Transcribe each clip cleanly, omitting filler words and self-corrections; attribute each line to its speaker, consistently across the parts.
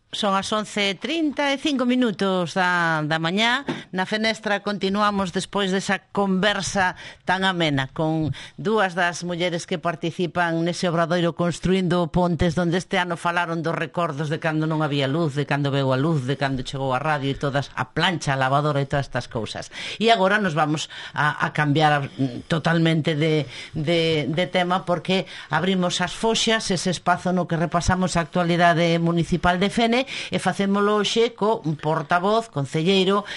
Speaker 1: Son as 11:35 da mañá. Na Fenestra continuamos despois desa conversa tan amena con dúas das mulleres que participan nese obradoiro Construindo Pontes, onde este ano falaron dos recordos de cando non había luz, de cando veu a luz, de cando chegou a radio e todas, a plancha, a lavadora e todas estas cousas. E agora nos vamos a cambiar totalmente de tema, porque abrimos as foxas, ese espazo no que repasamos a actualidade municipal de Fene, e facémolo hoxe co portavoz, concelleiro,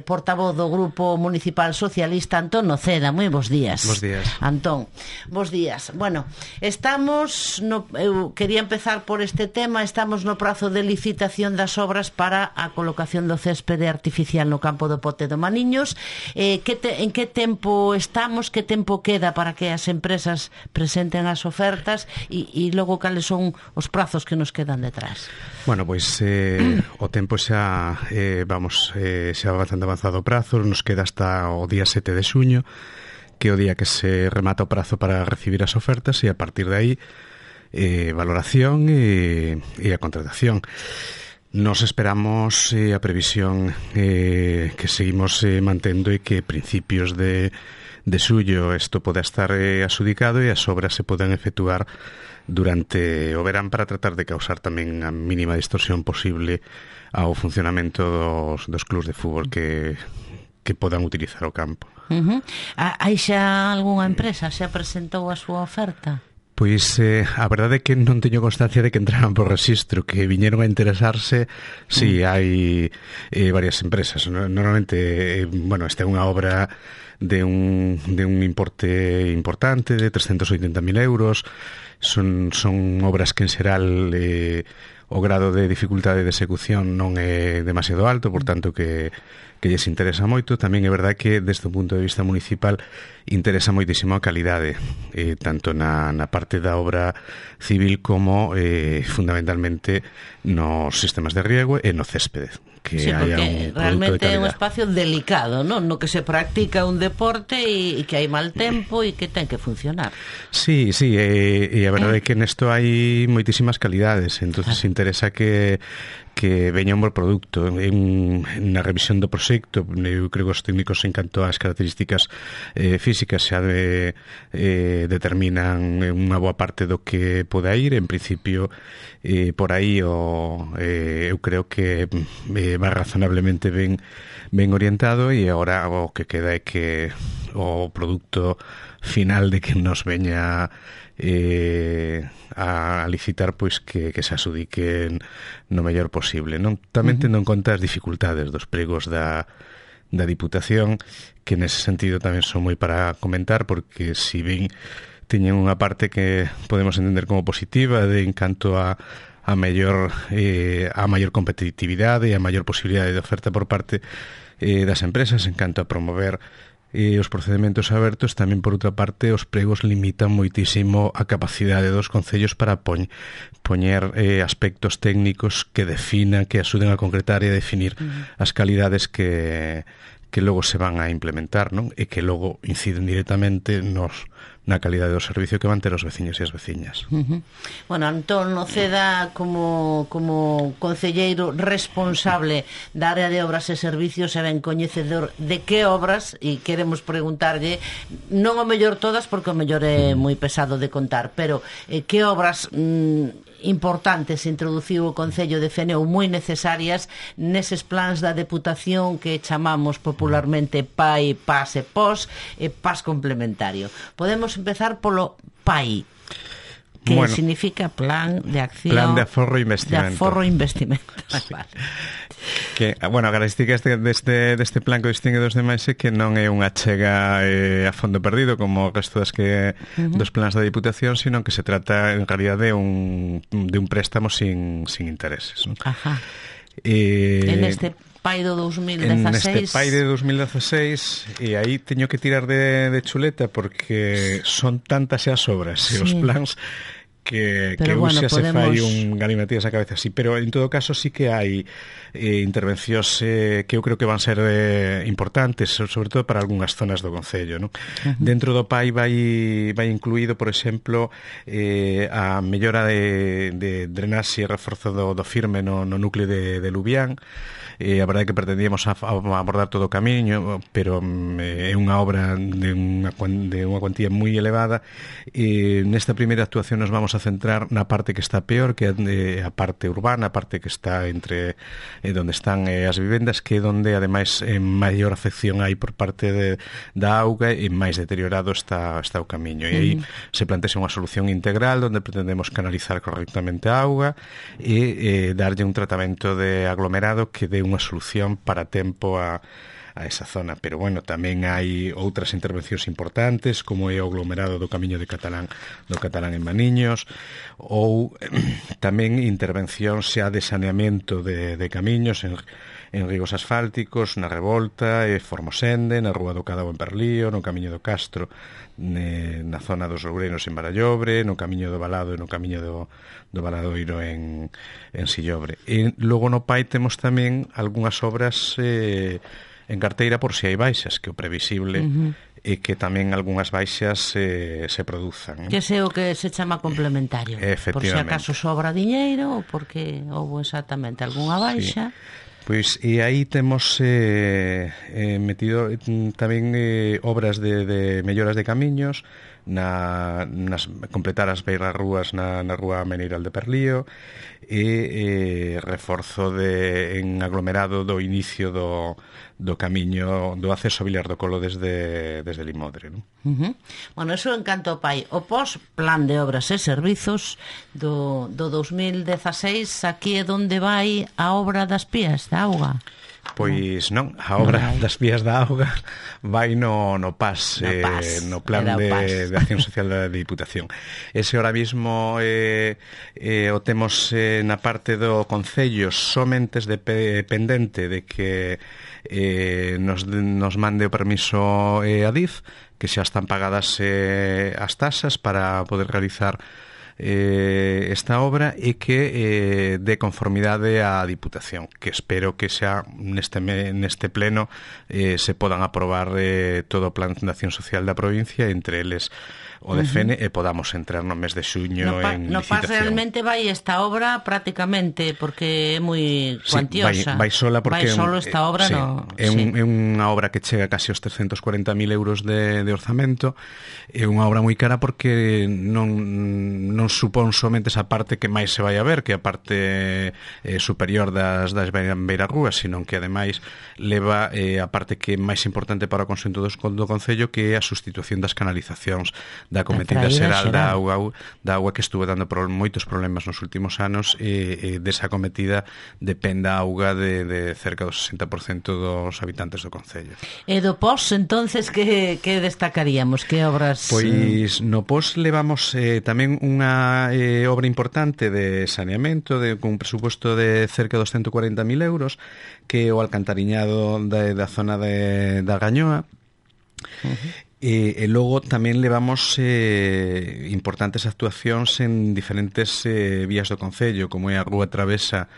Speaker 1: portavoz do Grupo Municipal Socialista, Antón Noceda. Moi bons días.
Speaker 2: Bos días.
Speaker 1: Antón, bos días. Bueno, eu quería empezar por este tema. Estamos no prazo de licitación das obras para a colocación do céspede artificial no campo do Pote do Maniños. En que tempo estamos? Que tempo queda para que as empresas presenten as ofertas e logo cales son os prazos que nos quedan detrás?
Speaker 2: Bueno, pois o tempo xa xa bastante avanzado o prazo. Nos queda hasta o día 7 de xuño, que é o día que se remata o prazo para recibir as ofertas, e a partir de aí valoración e a contratación. Nos esperamos a previsión que seguimos mantendo, e que principios de xullo isto poda estar adxudicado e as obras se podan efectuar durante o verán, para tratar de causar tamén a mínima distorsión posible ao funcionamento dos clubs de fútbol que podan utilizar o campo.
Speaker 1: Hai xa algunha empresa xa presentou a súa oferta?
Speaker 2: Pois a verdade é que non teño constancia de que entraran por rexistro, que viñeron a interesarse. Si, hai varias empresas. Normalmente, esta é unha obra de un importe importante, de 380.000 euros. Son obras que en xeral o grado de dificultade de execución non é demasiado alto, por tanto que lles interesa moito. Tamén é verdade que desde o punto de vista municipal interesa moitísimo a calidade, tanto na parte da obra civil como fundamentalmente nos sistemas de riego e no céspede, que
Speaker 1: sí,
Speaker 2: haya un
Speaker 1: realmente
Speaker 2: é
Speaker 1: un espacio delicado, non? No que se practica un deporte e que hai mal tempo e que ten que funcionar.
Speaker 2: Sí, e a verdade é que nesto hai moitísimas calidades, entonces interesa que veña un bo produto. Na revisión do proxecto, eu creo que os técnicos, en canto ás características físicas, xa determinan unha boa parte do que poda ir. En principio, por aí eu creo que va razonablemente ben orientado, e agora o que queda é que o produto final de que nos veña a licitar, pois que se adxudiquen no mellor posible, non? Tamén tendo en conta as dificultades dos pregos da Diputación, que nese sentido tamén son moi para comentar, porque si ben teñen unha parte que podemos entender como positiva en canto a maior competitividade e a maior posibilidade de oferta por parte das empresas en canto a promover os procedementos abertos, tamén por outra parte os pregos limitan moitísimo a capacidade dos concellos para poñer aspectos técnicos que definan, que axuden a concretar e a definir as calidades que logo se van a implementar, non? E que logo inciden directamente na calidade do servicio que van ter os veciños e as veciñas.
Speaker 1: Bueno, Antón Noceda, como concelleiro responsable da área de obras e servicios, e ben coñecedor de que obras, e queremos preguntarlle, non o mellor todas, porque o mellor é moi pesado de contar, pero que obras importantes introduciu o Concello de Fene, ou moi necesarias neses plans da Deputación que chamamos popularmente PAI, PAS e POS, e PAS complementario. Podemos empezar polo PAI, que significa Plan de Acción...
Speaker 2: Plan de Aforro e Investimento.
Speaker 1: De Aforro e Investimento.
Speaker 2: Sí. Vale. Que, a característica deste plan que distingue dos demais é que non é unha chega a fondo perdido como o resto dos plans da Diputación, sino que se trata en realidad de un préstamo sin intereses, ¿no?
Speaker 1: Ajá. En este PAI do 2016...
Speaker 2: En este PAI de 2016, e aí teño que tirar de chuleta, porque son tantas as obras e os plans que
Speaker 1: bueno,
Speaker 2: xa se
Speaker 1: podemos...
Speaker 2: fai un galimatías a cabeza así, pero en todo caso sí que hai intervencións que eu creo que van ser importantes, sobre todo para algunhas zonas do concello, non? Dentro do PAI vai incluído, por exemplo, a mellora de drenaxe e reforzo do firme no núcleo de Lubián. A verdade é que pretendíamos abordar todo o camiño, pero é unha obra de unha cuantía moi elevada. Nesta primeira actuación nos vamos a centrar na parte que está peor, que é a parte urbana, a parte que está entre onde están as vivendas, que é onde ademais maior afección hai por parte da auga e máis deteriorado está o camiño. E aí se plantea unha solución integral onde pretendemos canalizar correctamente a auga e darlle un tratamento de aglomerado que dé unha solución para tempo a esa zona, pero bueno, tamén hai outras intervencións importantes como é o aglomerado do camiño do Catalán en Maniños, ou tamén intervencións xa de saneamento de camiños en rigos asfálticos, na Revolta, Formosende, na Rúa do Cadao en Perlío, no camiño do Castro, na zona dos Loureiros en Barallobre, no camiño do Valado e no camiño do Valadoiro en Sillobre. E logo no PAI temos tamén algunhas obras en carteira por si hai baixas, que o previsible e que tamén algunhas baixas se produzan.
Speaker 1: Que sei o que se chama complementario. Por si acaso sobra diñeiro ou porque houve exactamente algunha baixa.
Speaker 2: Sí. Pois, e aí temos metido tamén obras de melloras de camiños, completar as beiras rúas na Rúa Meneiral de Perlío e reforzo en aglomerado do inicio do camiño do acceso a Vilar do Colo desde Limodre, non?
Speaker 1: Bueno, eso en canto ao PAI. O plan de obras e servizos do 2016, aquí é onde vai a obra das pías da auga?
Speaker 2: Pois non, a obra das vías da auga vai no PAS, no Plan de Acción Social da Diputación. Ese ahora mismo o temos na parte do Concello somente dependente de que nos mande o permiso a DIF, que xa están pagadas as tasas para poder realizar esta obra e que de conformidade á Diputación, que espero que xa neste pleno se podan aprobar todo o Plan de Acción Social da provincia, entre eles o DFN, e podamos entrar no mes de xuño en licitación. No PAS
Speaker 1: realmente vai esta obra prácticamente porque é moi cuantiosa.
Speaker 2: Vai sola porque
Speaker 1: vai solo esta obra,
Speaker 2: sí, é unha obra que chega casi aos 340.000 euros de orzamento. É unha obra moi cara porque non supón somente esa parte que máis se vai a ver, que é a parte superior das beirarrúas, sino que ademais leva a parte que é máis importante para o conxunto do Concello, que é a sustitución das canalizacións da cometida xeral da auga que estuvo dando moitos problemas nos últimos anos, e desa cometida depende a auga de cerca do 60% dos habitantes do Concello.
Speaker 1: E do POS, entonces, que destacaríamos? Que obras?
Speaker 2: Pois no POS levamos tamén unha obra importante de saneamento con un presuposto de cerca de 240.000 euros, que é o alcantariñado da zona da Gañoa. E logo tamén levamos importantes actuacións en diferentes vías do Concello, como é a Rúa Travesa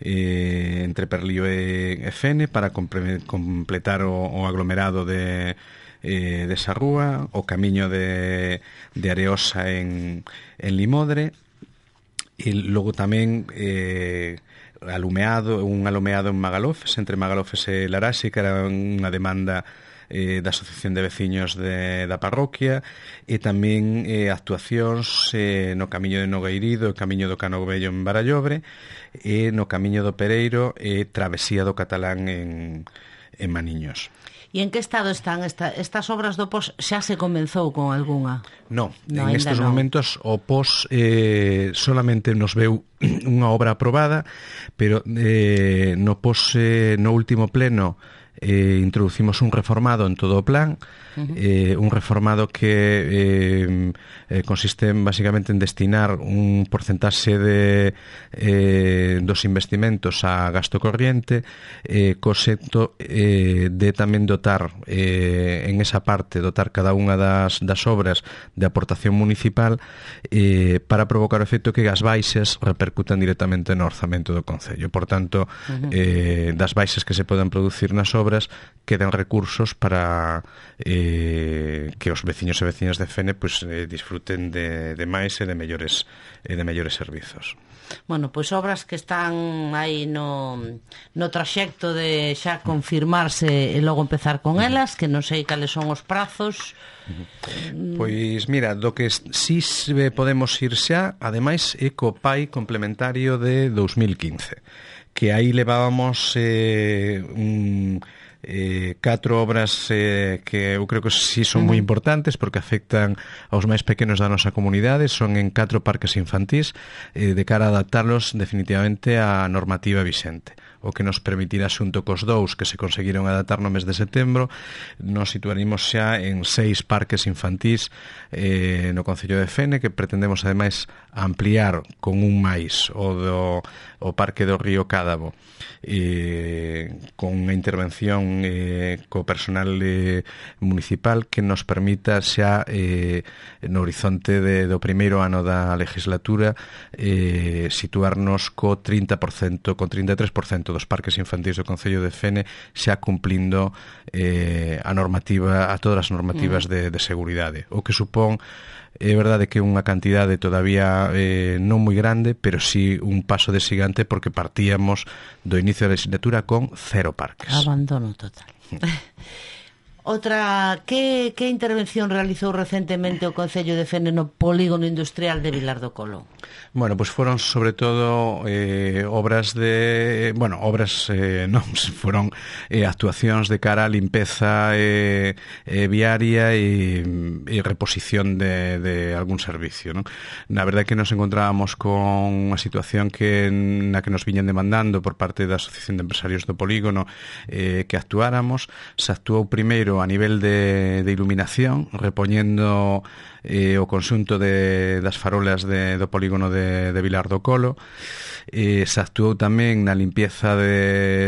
Speaker 2: entre Perlío e Fene, para completar o aglomerado desa rúa, o camiño de Areosa en Limodre, e logo tamén un alumeado en Magalofes, entre Magalofes e Laraxe, que era unha demanda da Asociación de Veciños da parroquia, e tamén actuacións no camiño de Nogueirido, o camiño do Cano Vello en Barallobre, e no camiño do Pereiro e travesía do Catalán en Maniños.
Speaker 1: E en que estado están estas obras do POS? Xa se comenzou con algunha?
Speaker 2: Non, en estes momentos o POS solamente nos veu unha obra aprobada, pero no POS, no último pleno, introducimos un reformado en todo o plan, un reformado que consiste básicamente en destinar un porcentaxe dos investimentos a gasto corriente, co xeito de tamén dotar en esa parte, dotar cada unha das obras de aportación municipal para provocar o efecto que as baixas repercutan directamente no orzamento do Concello. Por tanto, das baixas que se poden producir nas obras quedan recursos para que os veciños e veciñas de Fene disfruten de máis e de mellores servizos.
Speaker 1: Bueno, pois obras que están aí no traxecto de xa confirmarse e logo empezar con elas, que non sei cales son os prazos.
Speaker 2: Pois mira, do que si podemos ir xa, ademais é co PAI complementario de 2015, que aí levábamos 4 obras que eu creo que sí son moi importantes porque afectan aos máis pequenos da nosa comunidade. Son en 4 parques infantís de cara a adaptarlos definitivamente á normativa vixente, o que nos permitirá, xunto cos 2 que se conseguiron adaptar no mes de setembro, nos situaremos xa en 6 parques infantís no Concello de Fene, que pretendemos ademais ampliar con un máis o Parque do Río Cádabo, con unha intervención co personal municipal que nos permita xa no horizonte do primeiro ano da legislatura situarnos co 30%, con 33% dos parques infantís do Concello de Fene xa cumplindo a normativa, a todas as normativas de seguridade, o que supón, é verdade que é unha cantidade todavía non moi grande, pero sí un paso de xigante, porque partíamos do inicio da legislatura con 0 parques.
Speaker 1: Abandono total. Outra, que intervención realizou recentemente o Concello de Fene no polígono industrial de Vilar do Colo?
Speaker 2: Bueno, pois foron sobre todo obras de... Bueno, obras non, foron actuacións de cara a limpeza viaria e reposición de algún servicio, non? Na verdade que nos encontrábamos con unha situación na que nos viñan demandando por parte da Asociación de Empresarios do Polígono que actuáramos. Se actuou primeiro a nivel de iluminación, repoñendo o conxunto das farolas do polígono de Vilar do Colo. Se actuou tamén na limpieza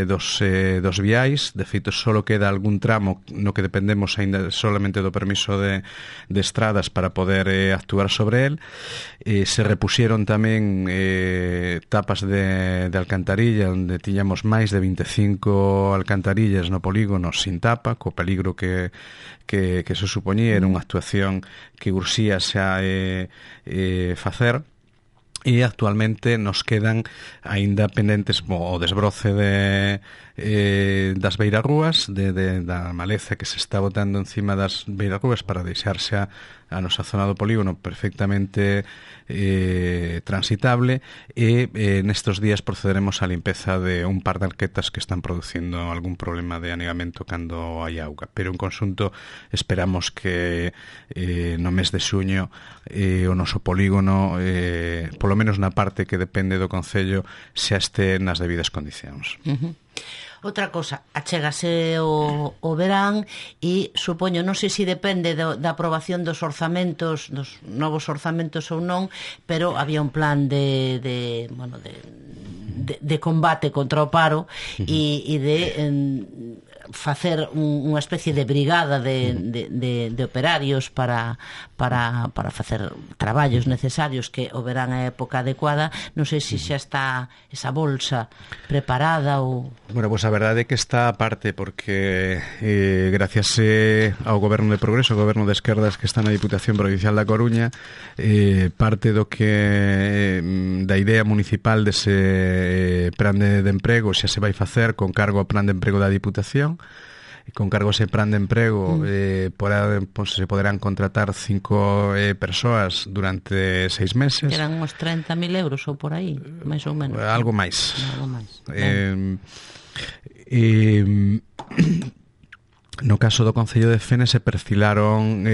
Speaker 2: dos viais. De feito, só queda algún tramo no que dependemos aínda solamente do permiso de estradas para poder actuar sobre el. Se repuxeron tamén tapas de alcantarilla, onde tiñamos máis de 25 alcantarillas no polígono sin tapa, co peligro que se supoñía. Era unha actuación que urxía xa facer. E actualmente nos quedan aínda pendentes o desbroce das beirarrúas, da maleza que se está botando encima das beirarrúas para deixarse a nosa zona do polígono perfectamente transitable, e nestes días procederemos á limpeza de un par de arquetas que están producindo algún problema de anegamento cando hai auga, pero en conxunto esperamos que no mes de xuño o noso polígono, polo menos na parte que depende do Concello, xa este nas debidas condicións.
Speaker 1: Outra cosa, achégase o verán e supoño, non sei se depende da aprobación dos orzamentos, dos novos orzamentos ou non, pero había un plan de combate contra o paro e de facer unha especie de brigada de operarios para facer traballos necesarios, que o verán a época adecuada. Non sei se xa está esa bolsa preparada ou...
Speaker 2: Bueno, pois a verdade é que está aparte, porque gracias ao Goberno de Progreso, ao Goberno de Esquerdas que está na Diputación Provincial da Coruña, parte da idea municipal dese plan de emprego xa se vai facer con cargo ao plan de emprego da Diputación. Con cargo a ese plan de emprego se poderán contratar 5 persoas durante 6 meses.
Speaker 1: Que eran uns 30.000 euros ou por aí, máis ou menos.
Speaker 2: Algo máis. No caso do Concello de Fene se perfilaron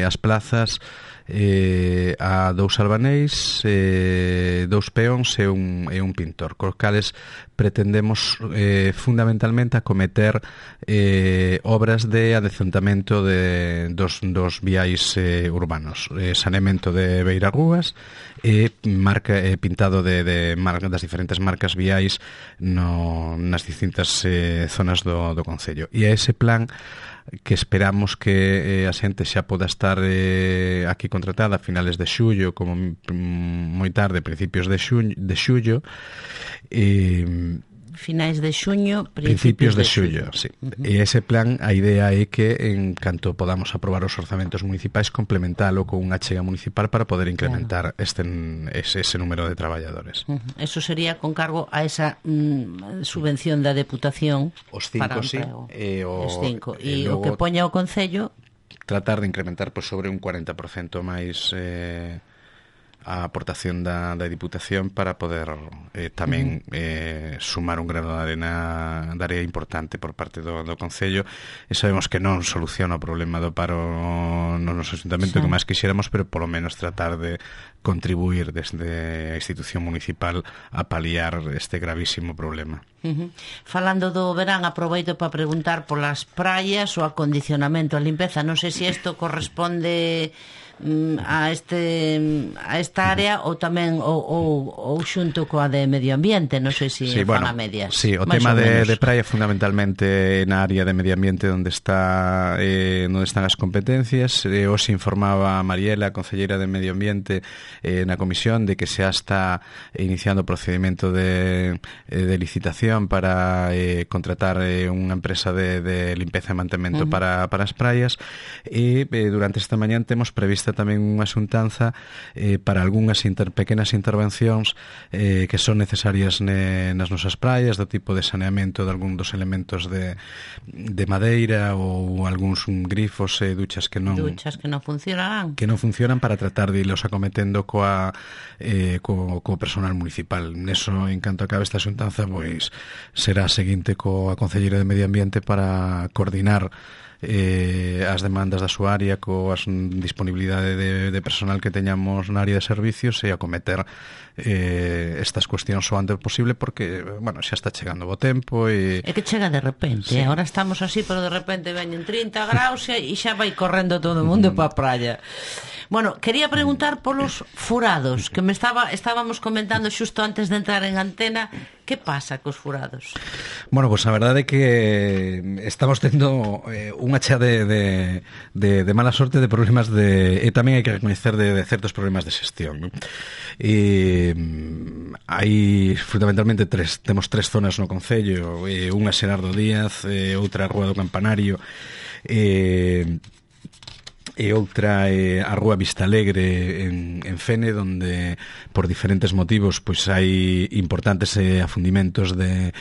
Speaker 2: as plazas a 2 albaneis, 2 peóns e un pintor, cos cales pretendemos fundamentalmente acometer obras de adecentamento dos viais urbanos, saneamento de beirarrúas e pintado das diferentes marcas viais nas distintas zonas do concello. E a ese plan que esperamos que a xente xa poda estar aquí contratada a finales de xullo, como moi tarde, principios de xullo,
Speaker 1: finais de xuño,
Speaker 2: principios de xullo, sí. E ese plan, a idea é que en canto podamos aprobar os orzamentos municipais, complementalo con unha achega municipal para poder incrementar ese número de traballadores.
Speaker 1: Eso sería con cargo a esa subvención da Deputación
Speaker 2: os 5, sí,
Speaker 1: os 5. E o que poña o Concello
Speaker 2: tratar de incrementar sobre un 40% máis a aportación da Diputación para poder tamén sumar un grano de area importante por parte do Concello, e sabemos que non soluciona o problema do paro no noso ayuntamento, que máis quixéramos, pero polo menos tratar de contribuir desde a institución municipal a paliar este gravísimo problema.
Speaker 1: Falando do verán, aproveito para preguntar polas praias, o acondicionamento, a limpeza. Non sei se isto corresponde a esta área ou tamén ou xunto coa de medio ambiente, non sei se fan a medias.
Speaker 2: Sí, o tema de praia fundamentalmente na área de medio ambiente onde están as competencias. Hoxe informaba Mariela, a concelleira de medio ambiente, na comisión, de que xa está iniciando o procedimento de licitación para contratar unha empresa de limpeza e mantemento para as praias, e durante esta mañá temos prevista tamén unha xuntanza para algunhas pequenas intervencións que son necesarias nas nosas praias, do tipo de saneamento de algún dos elementos de madeira, ou algúns grifos e duchas que non funcionan, para tratar de irlos acometendo co personal municipal. Neso, en canto acabe esta xuntanza, pois será a seguinte coa concelleira de Medio Ambiente para coordinar as demandas da súa área coa disponibilidade de personal que teñamos na área de servicios, e acometer estas cuestións o antes posible, porque, bueno, xa está chegando o tempo e
Speaker 1: que chega de repente, sí. Ahora estamos así, pero de repente veñen 30 graus e xa vai correndo todo o mundo para a praia. Bueno, quería preguntar polos furados, que estábamos comentando xusto antes de entrar en antena. Que pasa cos furados?
Speaker 2: Bueno, pues a verdade é que estamos tendo unha chea de mala sorte, de problemas e tamén hai que recoñecer de certos problemas de xestión, ¿no? E hai fundamentalmente temos tres zonas no concello, unha Xerardo Díaz, outra a Rúa do Campanario, e outra a Rúa Vista Alegre en Fene, donde por diferentes motivos pois hai importantes afundimentos da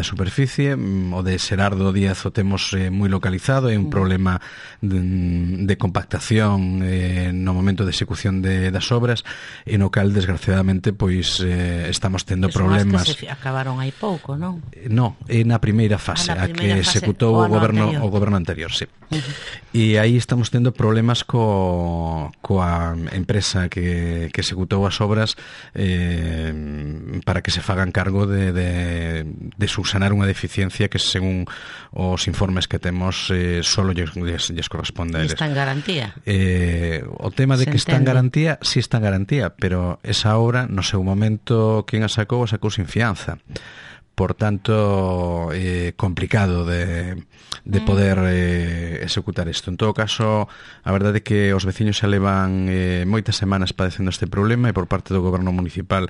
Speaker 2: superficie. O de Xerardo Díaz o temos moi localizado, é un problema de compactación no momento de execución das obras, e no cal desgraciadamente pois estamos tendo problemas.
Speaker 1: Que se acabaron hai pouco, non?
Speaker 2: Non, é na primeira fase, a que executou o goberno anterior, sí. E aí estamos tendo problemas coa empresa que executou as obras para que se fagan cargo de subsanar unha deficiencia que, según os informes que temos, solo lles corresponde a eles.
Speaker 1: Está en garantía?
Speaker 2: O tema de que está en garantía, sí está en garantía, pero esa obra, no seu momento, quen a sacou sin fianza. Por tanto, complicado de poder executar isto. En todo caso, a verdade é que os veciños xa levan moitas semanas padecendo este problema, e por parte do goberno municipal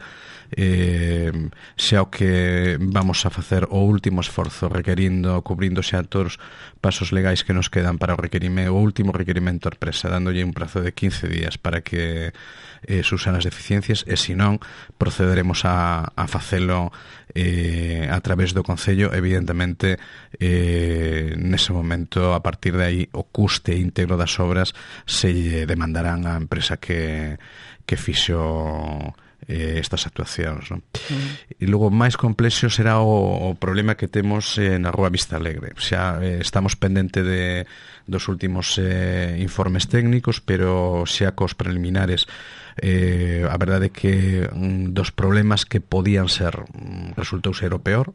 Speaker 2: xa o que vamos a facer o último esforzo, cubrindo xa todos os pasos legais que nos quedan para o último requerimento á empresa, dándolle un prazo de 15 días para que subsan as deficiencias, e se non, procederemos a facelo a través do Concello. Evidentemente, nese momento, a partir de aí, o custe íntegro das obras se demandarán á empresa que fixo estas actuacións, non? E logo, máis complexo será o problema que temos na Rúa Vista Alegre. Xa estamos pendente dos últimos informes técnicos, pero xa cos preliminares A verdade é que dos problemas que podían ser resultou ser o peor.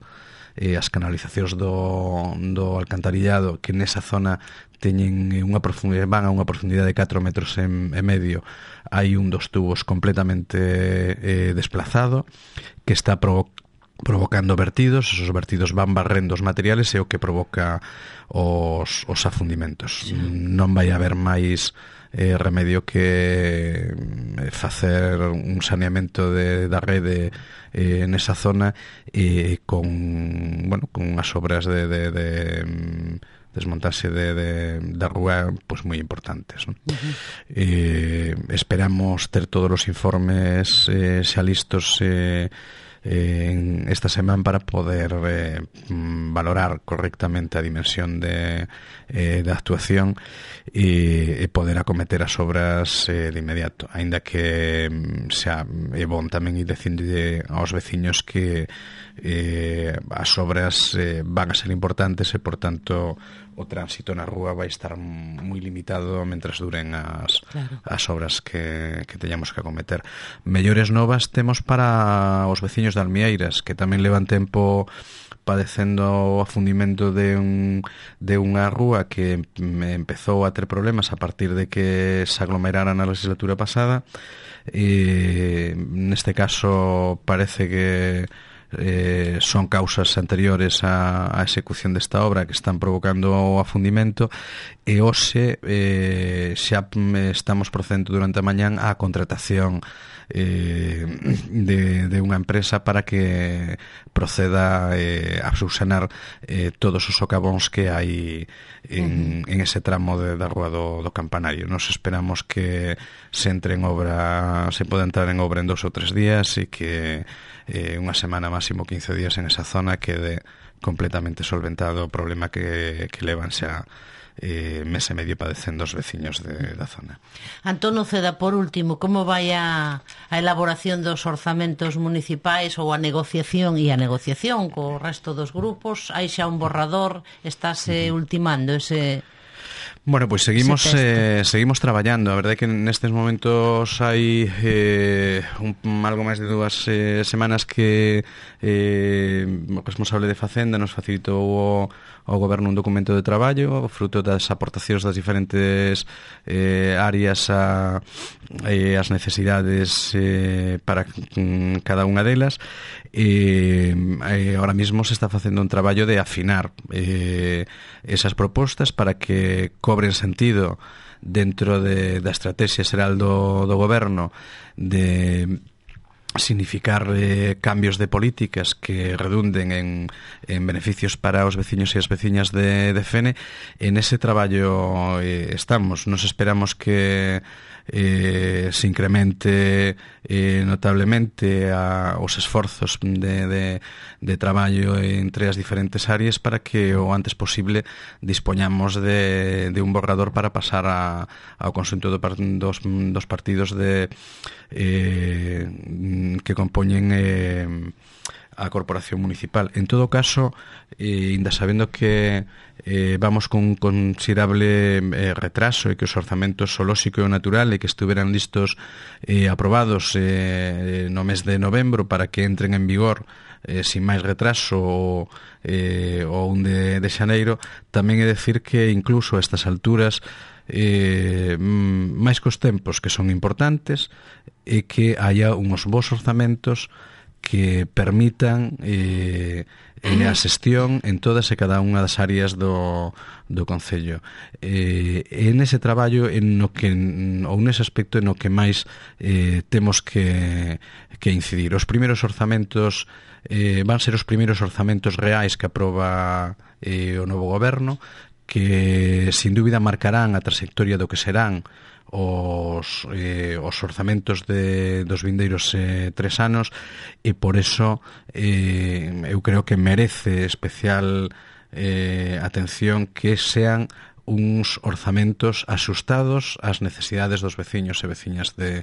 Speaker 2: As canalizacións do alcantarillado, que nesa zona teñen van a unha profundidade de 4 metros e medio. Hai un dos tubos completamente desplazado, que está provocando vertidos. Esos vertidos van barrendo os materiales e o que provoca os afundimentos. Sí. Non vai haber máis remedio que facer un saneamento da rede nesa zona con as obras de desmontaxe da rúa pois moi importantes, non? Esperamos ter todos os informes xa listos en esta semana para poder valorar correctamente a dimensión da actuación e poder acometer as obras de inmediato, aínda que xa é bon tamén ir dicindo aos veciños que as obras van a ser importantes e, por tanto, o tránsito na rúa vai estar moi limitado mentras duren as obras que teñamos que acometer. Mellores novas temos para os veciños de Almieiras, que tamén levan tempo padecendo o afundimento de unha rúa que empezou a ter problemas a partir de que se aglomeraran na legislatura pasada. Neste caso parece que son causas anteriores á execución desta obra que están provocando o afundimento, e hoxe xa estamos procedendo durante a mañán á contratación de unha empresa para que proceda a subsanar todos os socavóns que hai en ese tramo da rúa do Campanario. Nos esperamos que se poda entrar en obra en 2 ou 3 días e que unha semana, máximo 15 días en esa zona quede completamente solventado o problema que levan xa mes e medio padecendo os veciños da zona.
Speaker 1: Antón Uceda, por último, como vai a elaboración dos orzamentos municipais ou a negociación co resto dos grupos? Hai xa un borrador? Estáse ultimando ese...
Speaker 2: Bueno, pois seguimos traballando. A verdade é que nestes momentos hai algo máis de 2 semanas que o responsable de Facenda nos facilitou ao Goberno un documento de traballo fruto das aportacións das diferentes áreas as necesidades para cada unha delas, e ahora mismo se está facendo un traballo de afinar esas propostas para que cobren sentido dentro da estrategia xeral do Goberno de significar cambios de políticas que redunden en beneficios para os veciños e as veciñas de Fene. En ese traballo estamos. Nos esperamos que se incremente notablemente os esforzos de traballo entre as diferentes áreas para que o antes posible dispoñamos de un borrador para pasar ao conxunto dos partidos que compoñen a corporación municipal. En todo caso, ainda sabendo que vamos con un considerable retraso e que os orzamentos o lóxico e o natural e que estuveran listos aprobados no mes de novembro para que entren en vigor sin máis retraso o 1 de xaneiro, tamén é decir que incluso a estas alturas máis cos tempos que son importantes e que haya uns bons orzamentos que permitan a xestión en todas e cada unha das áreas do Concello. En ese traballo ou nese aspecto no que máis temos que incidir. Os primeiros orzamentos van ser os primeiros orzamentos reais que aproba o novo Goberno, que sin dúbida marcarán a trayectoria do que serán os orzamentos dos vindeiros 3 anos, e por eso eu creo que merece especial atención que sean uns orzamentos axustados ás necesidades dos veciños e veciñas de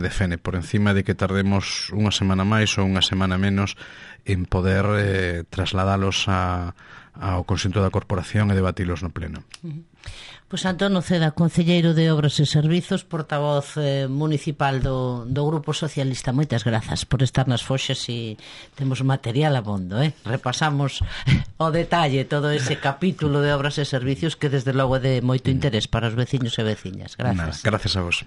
Speaker 2: Fene, por encima de que tardemos unha semana máis ou unha semana menos en poder trasladalos ao conxunto da corporación e debatilos no pleno.
Speaker 1: Pois Antonio Ceda, concelleiro de Obras e Servizos, portavoz municipal do Grupo Socialista. Moitas grazas por estar nas Foxas e temos material abondo, repasamos o detalle todo ese capítulo de Obras e Servizos que desde logo é de moito interés para os veciños e veciñas. Gracias.
Speaker 2: Gracias a vos.